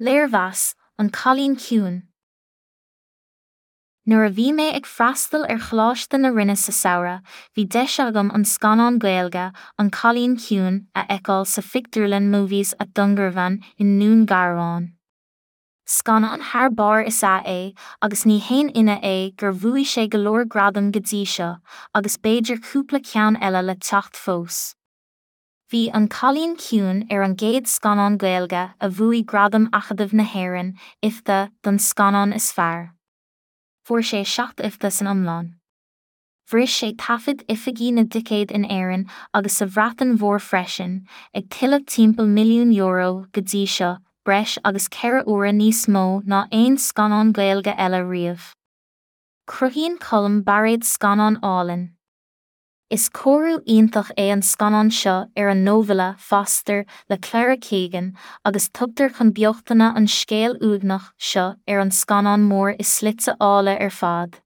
Léirmheas, An Cailín Ciúin. Nuair a bhí mé ag freastal ar Choláiste na Rinne sa samhradh, bhí deis agam an scannán Gaeilge, An Cailín Ciúin, a fheiceáil sa phictiúrlann Movies at Dungarvan i nDún Garbhán. Scannán thar barr is ea é agus ní haon ionadh é gur bhuaigh sé go leor gradam go dtí seo, agus b'fhéidir cúpla ceann eile le teacht fós. Bhí An Cailín Ciúin ar an gcéad scannán Gaeilge a bhuaigh Gradam Acadamh na hÉireann, IFTA, don scannán is fearr. Fuair sé 7 IFTA san iomlán. Bhris sé taifid oifigí na dticéad in Éirinn agus sa Bhreatain Mhór freisin, ag tuilleamh timpeall €1 milliún go dtí seo, breis agus 4 huaire níos mó ná aon scannán Gaeilge eile riamh. Cruthaíonn Colm Bairéad scannán álainn. Is cóiriú iontach é an scannán seo ar an nóibhille 'Foster' le Claire Keegan agus tugtar chun beochtana an scéal uaigneach seo ar an scannán mór i slite áille ar fad.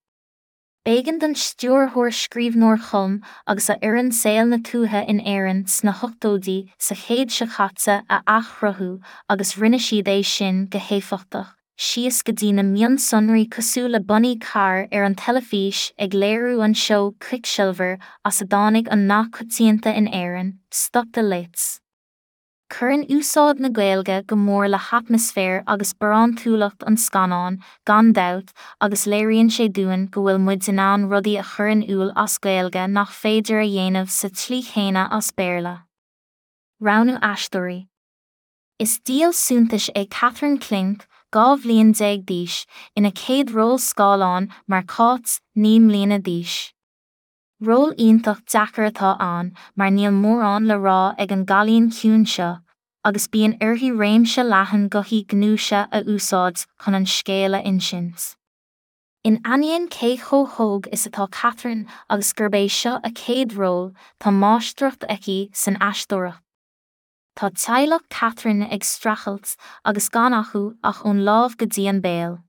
B'éigean don stiúrthóir-scríbhneoir Colm agus a fhoireann saol na tuaithe in Éirinn sna hochtóidí sa chéad seo caite a athchruthú agus rinne siad é sin go héifeachtach. síos go dtí na mionsonraí cosúil le bonnaí cairr ar an teilifís ag léiriú an seó Quicksilver as a dtáinig an nath coitianta in Éirinn, 'Stop the Lights'. Cuireann úsáid na Gaeilge go mór le hatmaisféar agus barántúlacht an scannáin, gan dabht, agus léiríonn sé dúinn go bhfuil muid in ann rudaí a chur in iúl as Gaeilge nach féidir a dhéanamh sa tslí chéanna as Béarla. Roghnú aisteoirí. Is díol suntais é Catherine Clinch, 12 bhliain d'aois, ina céad ról scáileáin mar Cáit, 9 mbliana d'aois. Ról iontach deacair atá ann mar níl mórán le rá ag an gcailín ciúin seo, agus bíonn uirthi réimse leathan gothaí gnúise a úsáid chun an scéal a insint. In ainneoin cé chomh hóg is atá Catherine agus gurb é seo a céad ról, tá máistreacht aici san aisteoireacht. Tá teaghlach Catherine ag streachailt agus gan acu ach ón lámh go dtí an béal.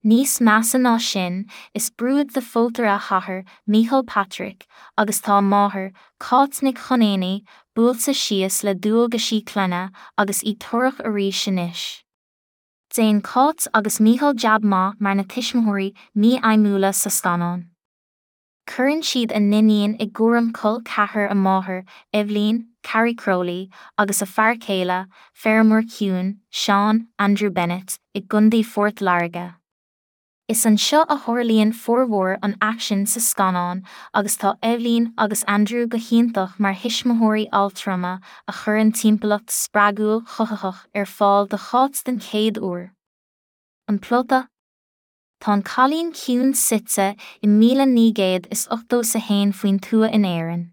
Níos measa ná sin, is brúid de phótaire a hathair, Micheál Patrick, agus tá a máthair, Cáit Nic Chonaonaigh, buailte síos le dualgaisí clainne agus í torrach arís anois. Déanann Cáit agus Micheál jab maith mar na tuismitheoirí mífheidhmiúla sa scannán. Cuireann siad a n-iníon i gcúram col ceathar a máthar, Eibhlín, Carrie Crowley, agus a fear céile, feirmeoir ciúin, Seán, Andrew Bennett, i gContae Phort Láirge. Is anseo a tharlaíonn formhór an aicsin sa scannán agus tá Eibhlín agus Andrew go hiontach mar thuismitheoirí altrama a chuireann timpeallacht spreagúil chothaitheach ar fáil do Cháit den chéad uair. An plota? Tá an Cailín Ciúin suite i 1981 faoin tuath in Éirinn.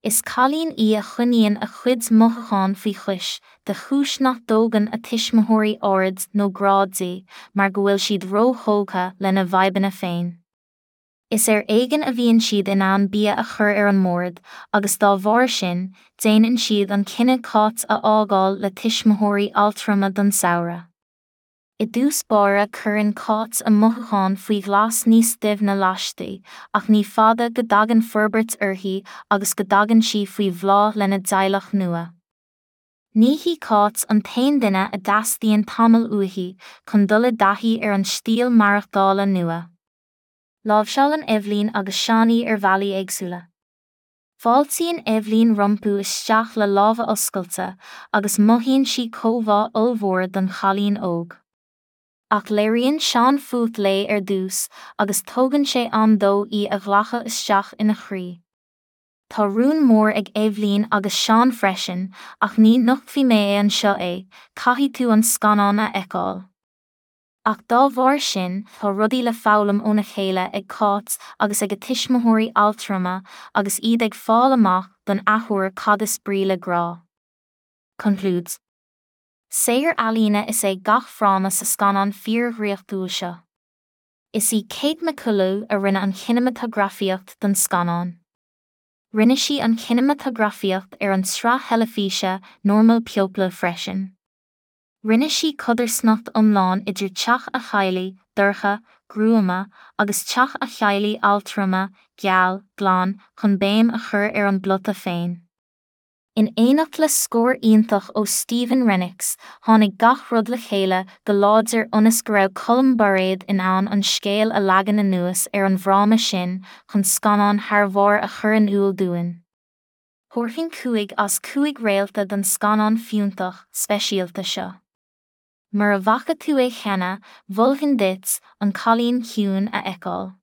Is cailín í a choinníonn a cuid mothúchán faoi chois, de chúis nach dtógann a tuismitheoirí aird nó grá di mar go bhfuil siad róthógtha lena bhfadhbanna féin. Is ar éigean a bhíonn siad in ann bia a chur ar an mbord agus dá bharr sin, déanann siad an cinneadh Cáit a fhágáil le tuismitheoirí altrama don samhradh. I dtús báire cuireann Cáit a mothúcháin faoi ghlas níos doimhne laistigh, ach ní fada go dtagann forbairt uirthi agus go dtagann sí faoi bhláth lena dteaghlach nua. Ní hí Cáit an t-aon duine a dteastaíonn tamall uaithi chun dul i dtaithí ar an stíl maireachtála nua. Láimhseálann Eibhlín agus Seán í ar bhealaí éagsúla. Fáiltíonn Eibhlín rompu isteach le lámha oscailte agus mothaíonn sí comhbhá ollmhór don chailín óg. Ach léiríonn Seán fuath léi ar dtús agus tógann sé am dó í a ghlacadh isteach ina chroí. Tá rún mór ag Eibhlín agus Seán freisin ach ní nochtfaidh mé é anseo é, caithfidh tú an scannán a fheiceáil. Ach dá bharr sin, tá rudaí le foghlaim óna chéile ag Cáit agus ag a tuismitheoirí altrama agus iad ag fáil amach don athuair cad is brí le grá. Conclúid. Saothar ealaíne is ea gach fráma sa scannán fíor-dhraíochtúil seo. Is í Kate McCullough a rinne an chineamatagrafaíocht don scannán. Rinne sí an chineamatagrafaíocht ar an tsraith theilifíse Normal People freisin. Rinne sí codarsnacht iomlán idir teach a theaghlaigh, dorcha, gruama, agus teach a theaghlaigh altrama, geal, glan, chun béim a chur ar an bplota féin. In éineacht le scór iontach ó Stephen Rennicks, tháinig gach rud le chéile go láidir ionas go raibh Colm Bairéad in ann an scéal a leagan anuas ar an bhfráma sin chun scannán thar bharr a chur in iúl dúinn. Thabharfainn 5 as 5 réalta don scannán fiúntach, speisialta seo. Mura bhfaca tú é cheana, mholfainn duit An Cailín Ciúin a fheiceáil.